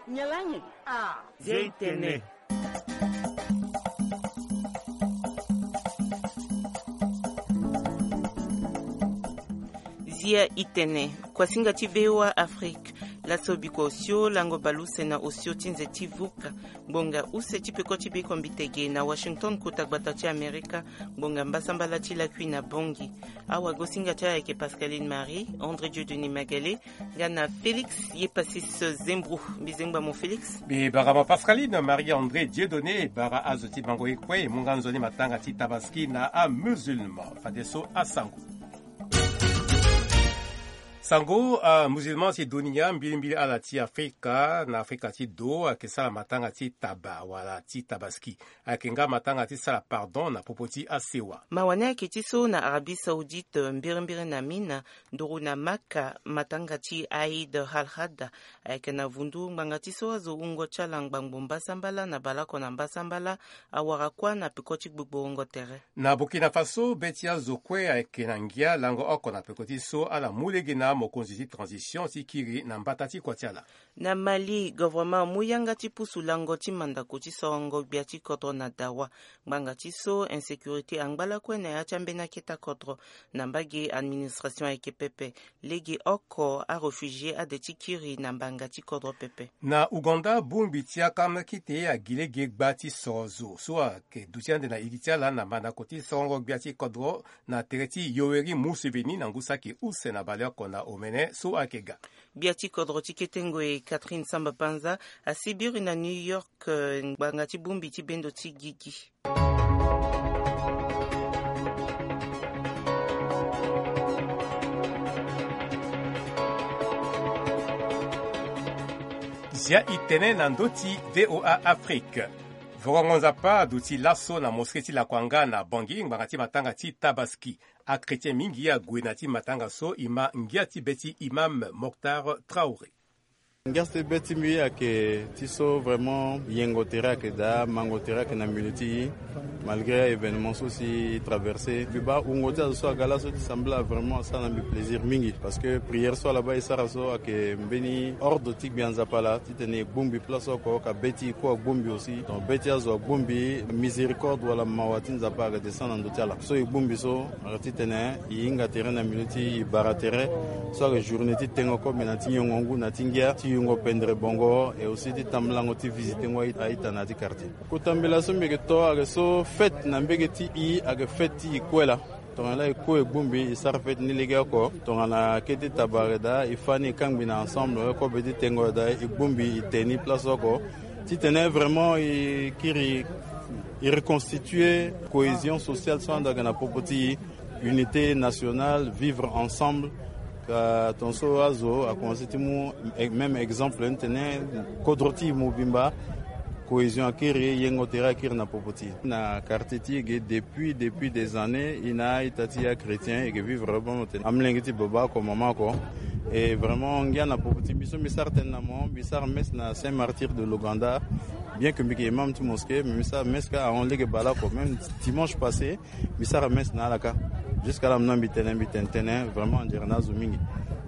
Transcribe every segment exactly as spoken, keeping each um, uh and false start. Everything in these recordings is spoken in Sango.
Nyen lani? Ah, Zia i tene. Zia i tene. Kuasinga ti V O A Afrique. Laso bikua osio lango baleuse na osio ti nze ti vuka. Ngbonga use ti peko ti biko mbitege na Washington, kota gbata ti Amerika. Ngbonga mbasambala ti lakui na Bangui. Awagosinga ti ayeke Pascaline Marie, André Dieudonné Magale, nga na Félix Yepasis Zembro. Mbi zengba mo Félix. Mbi bara mo Pascaline Marie André Dieudonné, bara azo ti bango ye kue e mu nga nzoni matanga ti Tabaski na amusulman. Fadeso asango. Sango, amusulman ti dunia, mbilimbili ala ti Afrika na Afrika ti do ayeke sara matanga ti taba wala ti Tabaski. Ayeke nga matanga ti sara pardon na popo ti asewa. Mawa ni ayeke ti so na Arabie Saoudite, mbirimbiri na Mina, nduru na Maka, matanga ti Aïd al-Adha ayeke na vundu. Ngbanga ti so azo wungo ti ala ngbangbo mbasambala na baleoko na mbasambala awara kuâ na peko ti gbogborongo tere. Na Burkina Faso, be ti azo kue ayeke na ngia lango oko na peko ti so ala mu lege na amokonzi ti transition ti kiri na mbata ti kua ti ala. Na Mali, governement amu yanga ti pusu lango ti mandako ti sorongo gbia ti kodro na dawa. Ngbanga ti so insécurité angba lakue na ya ti ambeni akete kodro. Na mbage administration ayeke pepe. Lege oko aréfugié ade ti kiri na mbanga ti kodro pepe. Na Ouganda, bongbi ti akama kete agi lege gba ti soro zo so ayeke duti ande na iri ti ala na mandako ti sorongo gbia ti kodro na tere ti Yoweri Museveni na ngu saki use na baleoko na omene so ayeke ga. Gbia ti kodro ti kete ngoi Catherine Samba Panza asi biri na New York, eh, ngbanga ti bongbi ti bendo ti gigi. Zia i tene na ndö ti V O A Afrique. Vorongo Nzapa aduti laso na mosquée ti Lakwanga na Bangui ngbanga ti matanga ti Tabaski. Achrétien mingi ague na ti matanga so e ma ngia ti be ti imam Moctar Traoré. Ngia ti be ti mbi ayeke ti so vraiment yengo tere ayeke daa, mango tere ayeke na milieu ti e. Malgré a-événement so si e traversé, mbi baa wungo ti azo so aga laso ti sambela vraiment asara na mbi plaisir mingi. Parce que prière so ala baa e sara so ayeke mbeni ordre ti Gbia Nzapa laa titene e bongbi place oko, ka be ti e kue agbongbi aussi. Donc be ti azo agbongbi, miséricorde wala mawa ti Nzapa ayeke descendre na ndö ti ala. So e bongbi so ayeke titene e hinga tere na milieu ti e bara tere. So ayeke journée ti tengo kobe na ti nyongo ngu na ti ngia ti yungo pendere bongo, et aussi ti tambulango ti visiter ngo a-ita na ya ti quartier. Kota mbela so mbi yeke to ayeke so fête na mbege ti e ayeke fête ti e kue laa. Tongana laa e kue e bongbi e sara fête ni legeoko. Tongana kete taba ayeke daa e fâ ni e kangbi na ensemble, kobe ti tengo ayeke daa e bongbi e te ni place oko. Titene vraiment e kiri e reconstituer cohésion sociale so ando ayeke na popo ti e. Unité nationale, vivre ensemble. Ka tongaso azo akomanse ti mu e-, même exemple ni tene kodro ti e mobimba, cohésion akiri, yengo tere akiri na popo ti e. Na quartier ti e ge depuis, depuis des années, e na a-ita ti e achrétien e yeke vivre bongo tene amolenge ti baba oko, mama oko. Et vraiment ngia na popo ti mbi so mbi sara tënë na mo, mbi sara messe na Saint Martyr de l'Ouganda. Bien que mbi yeke imam ti mosquée, mais mbi sara messe kâ ahon lege baleoko, même dimanche passé. Mbi sara messe na ala kâ. Jusqu'à là mbi na mbi tene, mbi tene tënë, vraiment anzere na azo mingi.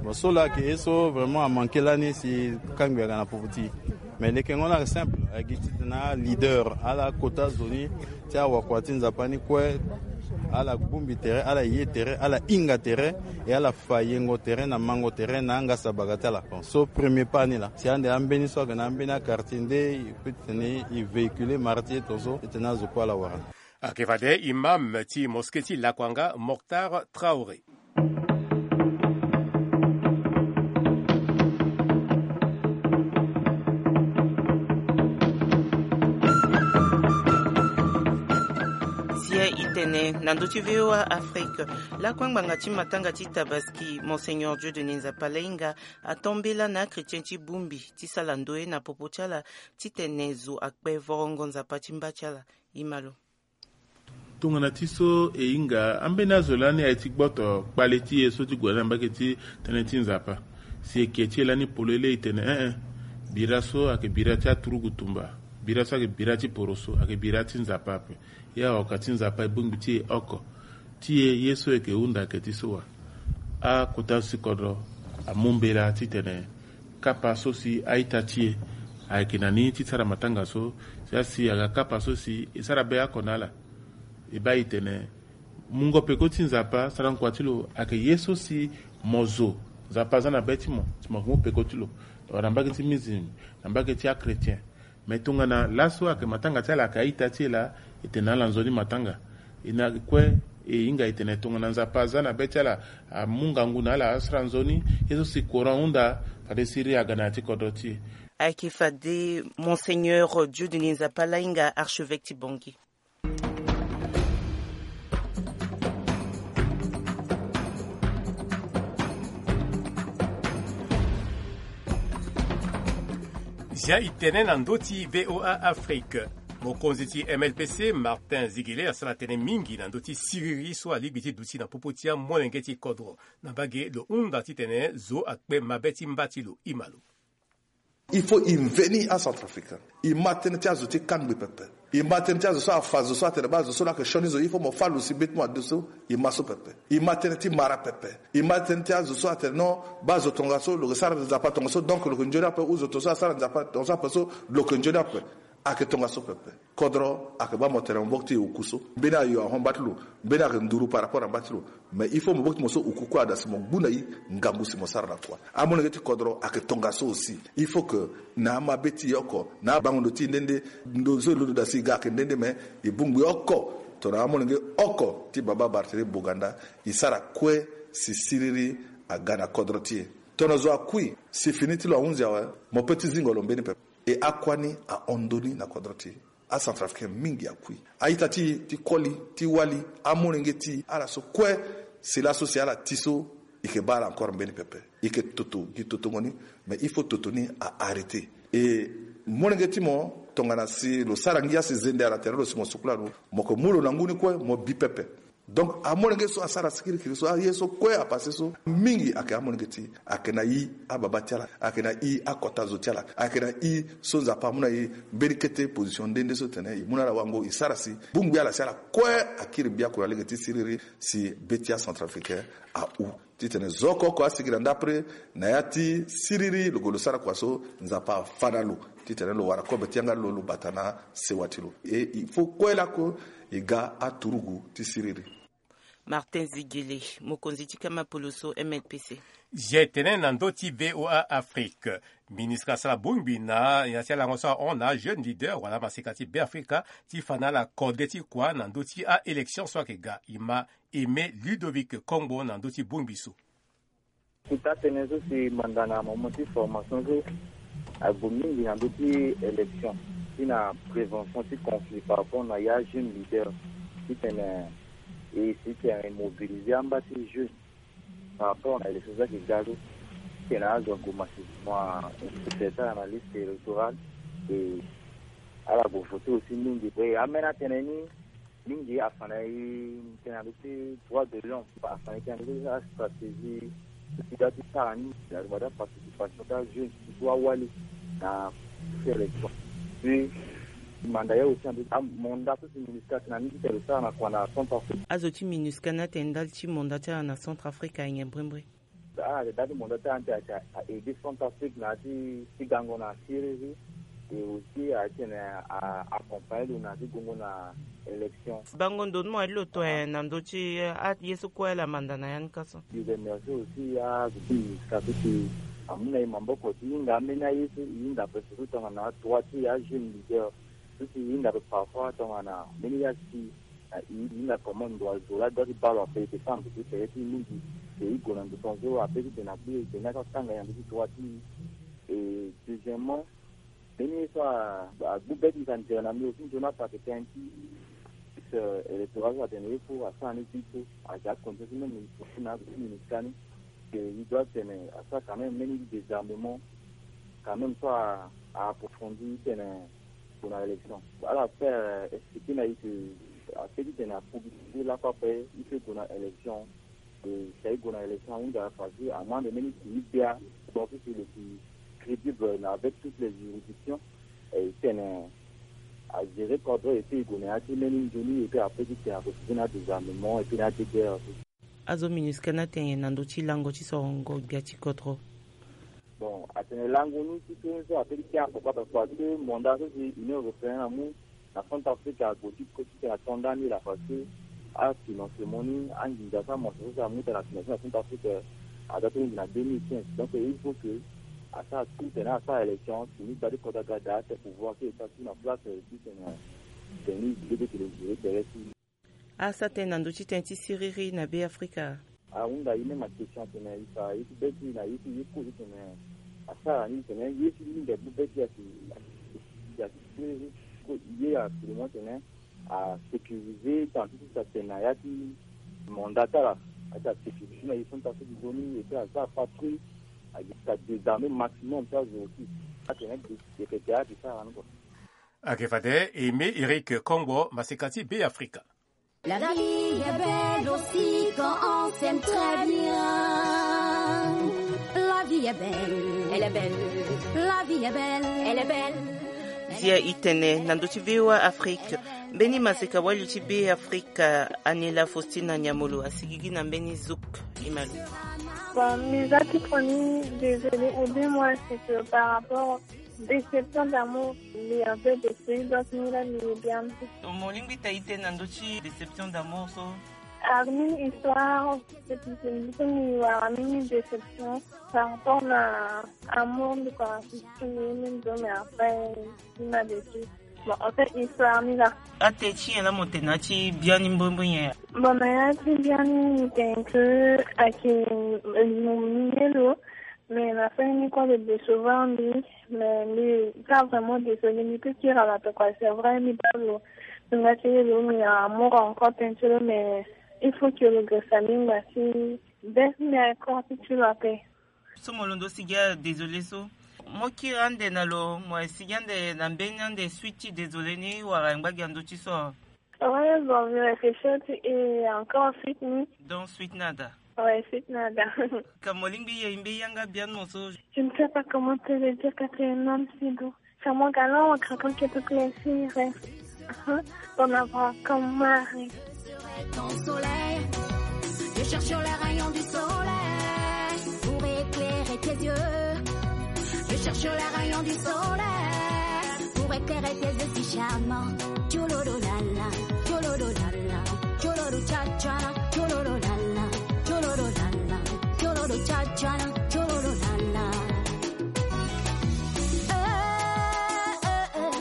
Bon, so laa ayeke ye so vraiment amanke lani si kangbi aga na popo ti e. Mais lekengo ni ayeke simple, ayeke gi titene aleader, ala kota zo ni ti awakua ti Nzapa ni kue, ala bongbi tere, ala ye tere, ala hinga tere, e ala fa yengo tere na mango tere na angasa baga ti ala. Bon, so premier pas ni laa. Si ande ambeni so ayeke na ambeni aquartier nde e peut titene e véhiculer martyr tongaso titene azo kue ala wara. Ayeke fade imam ti mosquée ti Lakwanga, Moctar Traoré. Zia i tene na ndö ti V O A Afrique. Lakue ngbanga ti matanga ti Tabaski, Monseigneur Dieudonné Nzapa Lainga atombela na achrétien ti bongbi ti sala ndoye na popo ti ala titene zo akpe vorongo Nzapa ti mba ti ala. Imalo. Tongana ti so e hinga ambeni azo lani aye ti gboto kpale ti e so ti gue na mbage ti tënë ti Nzapa. Si e ke ti e lani polele e tene eh eh, bira so ayeke bira ti aturugu tumba, bira so ayeke bira ti poroso, ayeke bira ti Nzapa ape. E aoka ti Nzapa e bongbi ti e oko. Ti e ye so e yeke hunda ayeke ti so wa. Akota so ti kodro amu mbela titene kapa so si a-ita ti e Ayeke na ni ti sara matanga so, si asi aga kapa so si e sara be oko na ala. E baa e tene mungo peko ti Nzapa, sarango kua ti lo ayeke ye so si mo zo, Nzapa aza na be ti mo si mo yeke mu peko ti lo. Wala na mbage ti musulman, na mbage ti achrétien. Me tongana laso ayeke matanga ti ala ayeke a-ita ti e laa, e tene na ala nzoni matanga. E na kue, e hinga e tene tongana Nzapa aza na be ti ala, amu ngangu na ala asara nzoni. Ye so si courant ahunda, fade siriri aga na ya ti kodro ti e. Ayeke fade Monseigneur Dieudonné Nzapa Lahinga, archevêque ti Bangui. Zia e tene na ndö ti V O A Afrique. Mokonzi ti M L P C, Martin Ziguélé, asara tënë mingi na ndö ti siriri so alingbi ti duti na popo ti amolenge ti kodro. Na mbage lo hunda titene zo akpe mabe ti mba ti lo. E ma lo. Il faut e veni acentrafricain. E ma tënë ti azo ti kangbi pepe. E ma tënë ti azo so afa zo so atene baa zo so laa ayeke sioni zo. Il faut mo fâ lo si be ti mo ade so. E ma so pepe. E ma tënë ti mara pepe. E ma tënë ti azo so atene non, baa zo tongaso lo yeke sara Nzapa tongaso, donc lo yeke nzoni ape. Ou zo tongaso asara Nzapa tongaso ape so, lo yeke nzoni ape. Ayeke tongaso pepe. Kodro ayeke baa mo tene mo mbokiti e oku so. Mbeni ayo ahon mba ti lo. Mbeni ayeke nduru par rapport na mba ti lo. Mais il faut mo mbokiti mo so oku kue ada si mo ngu na e ngangu si mo sara na kua. Amolenge ti kodro ayeke tongaso aussi. Il faut que na amabe ti e oko, na abango ndo ti e nde nde, ndo so e londo daa si e ga ayeke nde nde, mais e bongbi oko tongana amolenge oko ti baba Barthélémy Boganda, e sara kue si siriri aga na kodro ti e. Tongana zo akui, si fini ti lo ahunzi awe, mo pe ti zingo lo mbeni pepe. E akua ni ahon ndoni na kodro ti e. Acentrafricain mingi akui. A-ita ti e ti koli, ti wali, amolenge ti e, ala so kue, si laso si ala ti so, e yeke baa ala encore mbeni pepe. E yeke toto gi totongo ni, mais il faut toto ni a arrêter. E molenge ti mo, tongana si lo sara ngia si zende ala tere lo si mo sukula lo, mo yeke mu lo na ngu ni kue, mo bi pepe. Donc amolenge so asara sikirikiri so, aye so kue apase so, mingi ayeke amolenge ti e, ayeke na e ababa ti ala, ayeke na e akota zo ti ala, ayeke na e so Nzapa amu na e mbeni kete position nde nde so tene e mu na ala wango, e sara si bongbi ala si ala kue akiri mbi akura lege ti siriri si be ti acentrafricain ahu. Titene zo oko oko asigi na ndapre na ya ti siriri lo gue lo sara kua so, Nzapa afa na lo titene lo wara kobe ti yanga ti lo, lo bata na sewa ti lo. E, il faut kue laoko e ga aturugu ti siriri. Martin Ziguélé, mokonzi ti kama poloso M L P C. Zia e tene na ndö ti V O A Afrique. MINUSCA asara bongbi na ya ti alango so ahon na ajeune leader wala amaseka ti Beafrika ti fa na ala kode ti kua na ndö ti a-élection so ayeke ga. E ma Aimé Ludovic Kongbo na ndö ti bongbi so. Kota tënë so si manda na moment ti formation so agbu mingi na ndö ti élection ti na prévention ti conflit par rapport na ya jeune leader titene e si tene e mobiliser amba ti jeune par rapport na élection so ayeke ga so. Titene azo ague masisi mo inscrire ti ala na liste électorale. E ala gue voter aussi mingi. E ambeni atënë ni mingi afa na e tënë na ndö ti droit de l'homme, afa na e tënë na ndö ti astratégie ti ga ti sara ni na lo ma ti aparticipation ti ajeune surtout awali na ti élection. Puis manda ya aussi na ndö ti amonda so si MINUSCA atene ni ti tene lo sara na kua na Centrafrique. Azo ti MINUSCA ni atene ndali ti monda ti ala na Centrafrique ayeke mbrimbri. Ala yeke dä ti monda ti ala ti ayeke a aider Centrafrique na ya ti gango na siriri. Et aussi ayeke tene a accompagner lo na ya ti gongo na élection. Bango ndo ni mo aye ti lo toyen na ndö ti aye so kue ala manda na ya ni ka so. E remercier aussi azo ti MINUSCA so si amu na e maboko ti hinga ambeni aye so e hinga ape surtout tongana droit ti ajeune leader so si e hinga ape parfois tongana mbeni ya si na e hinga comment ndo azo laa doit ti baa lo ape e yeke sara ndo ti pere ti e mingi. E gue na ndo tongaso ape titene akui e tene atanga e na ndo ti droit ti e. Et deuxièmement mbeni ye so agbu be ti e si andere na mbi aussi nzoni ape ayeke tënë ti électoral so atene ye fo asara ni ti so aza condition ti même ministre ti na azo ti MINUSCA ni. Que e doit tene asara quand même mbeni désarmement quand même so a approfondi titene gue na élection. Ala fait expliquer na e que ape titene apublicité lakue ape e fait gue na élection. E si aye gue na élection ahunda facile amande mbeni ti e gbia. Donc si lo si crédible na avec toutes les juridictions. E tene agérer cordon et puis e gue na ya ti mbeni nzoni et puis ape titene akosi na désarmement et puis na ya ti guerre. Azo MINUSCA ni atene na ndö ti lango ti sorongo gbia ti kodro. Bon, atene lango ni ti so so ape ti kia papa parce que mandat so si Union Européenne amu na Centrafrique ague ti kue ti tene ato ndani laa parce que afinancement ni anginza so amanso so si amu tene afinancement na Centrafrique aza ti lingbi na deux mille quinze. Donc il faut que asara tout tene asara élection tini gbadi kota gada ate pouvoir ti eta ti na place ti tene tene ni gbede tene gere tere ti. Asa tënë na ndö ti tënë ti siriri na Be Afrika. Ahunda ye même akestion atene e fa ye ti be ti na ye ti ye kozo tene asara ni tene ye ti linde bu be ti asi asi siriri ko ye absolument tene asécurisé tant ti ti atene na ya ti mandat ti ala ati asécurisé na ye so ni ta so ti zo ni et puis asara patrouille agi ti adésarmé maximum ti azo aussi atene dekete ati sara ni kua. Ake fade Aimé Eric Kongbo, maseka ti Be Afrika. La vie est belle aussi quand on s'aime très bien. La vie est belle, elle est belle. La vie est belle, elle est belle. Zia itene na ndö ti V O A Afrique. Mbeni maseka wali ti Be Afrika, Anela Faustina Nyamolo, asigigi na mbeni zuk. Imalo. Bon, mes actes premiers, désolé, ou bien moi, c'est que par rapport Déception d'amour, mbi a fait des trucs, donc mbi la mbi ye bien. Mo lingbi ta ite na ndö ti déception d'amour so? Armin histoire, depuis que mbi so mbi wara mini déception par rapport na amour mbi ko assisté ye mini zo mais après mbi na déçu. Bon, en fait histoire mbi la. Ate ti nyen la mo tene na ti biani mbrimbri nyen? Bon, na ya ti biani mbi tene que ayeke mo mbi ye lo. Mais na fani ni kue lo décevoir mbi. Mais mbi sara vraiment désolé, mbi peut kiri ala tokua, c'est vrai mbi baa lo. Mbi nga ti ye lo mbi na amour encore tënë ti lo, mais il faut que lo gresa mbi ngba si be mbi encore ti ti lo ape. So mo londo sigi adésolé so, mo kiri ande na lo, mo sigi ande na mbeni ande suite ti désolé ni wala ngba gi na ndö ti so? Ouais, bon, mbi réfléchir ti e encore suite ni. Donc suite nada. Ouais, suite nada. Ka mo lingbi ye mbi yanga bien mo so. Je ne sais pas comment te le dire, Catherine, même si doux. Car mon galant, en craquant, que toute la fille rêve. Hein, d'en avoir comme mari. Je serai ton soleil. Je cherche les rayons du soleil pour éclairer tes yeux. Je cherche les rayons du soleil pour éclairer tes yeux si charmants. Tchouloulou la la, tchouloulou la la, tchouloulou tcha tcha la, tchouloulou la la, tchouloulou la la, tchouloulou tcha tcha la, tchouloulou la la. Euh, euh, euh, euh,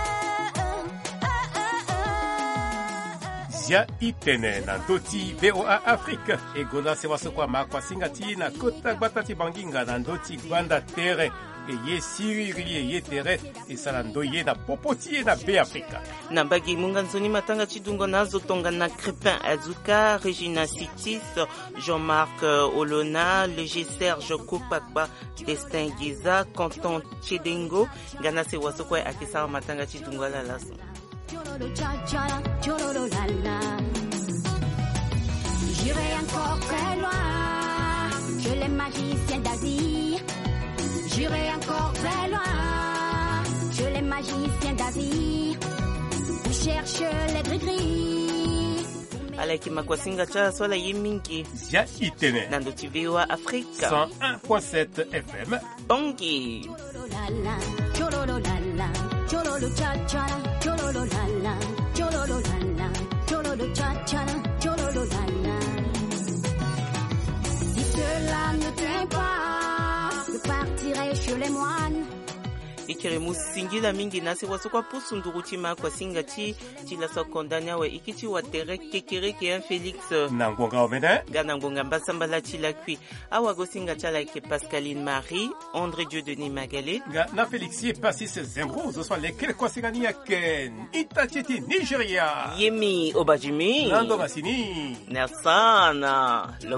euh, euh, euh, euh. Zia itene na ndö ti V O A Afrique. E gonda sewa so kue ama kuasinga ti e na kota gbata ti Banginga na ndö ti gbanda tere. E ye siriri e ye tere. E sara ndö ye na popo ti e na Be Afrika. Na mbage munga nzoni matanga ti dungo na azo tongana Crépin Azuka, Régina Sitis, Jean-Marc, euh, Olona, Léger Serge Kopakpa, Destin Giza, Canton Tiedengo. Nga na sewa so kue ayeke sara matanga ti dungo ala laso. J'irai encore très loin que les magiciens d'Asie. J'irai encore très loin que les magiciens d'Asie. Où cherchent les gris-gris. Ala yeke makuasinga ti ala so ala ye mingi. Zia itene na ndö ti V O A Afrique cent un point sept F M. Bongi. Si cela ne tient pas, je partirai chez les moines. E kiri mu singila mingi na sewa so kue apusu nduru ti makuasinga ti ti laso akonda ni awe e kiri ti watere kekereke, hein, Félix. Na ngonga omene. Nga na ngonga mbasambala ti lakui. Awagosinga ti ala ayeke Pascaline Marie, André Dieu Denis Magalé. Nga na Félix ye Passis Zembro, zo so alekere kuasinga ni ayeke ita ti e ti Nigeria. Yemi Obadjimi. Na ndo masini. Na sana. Lo-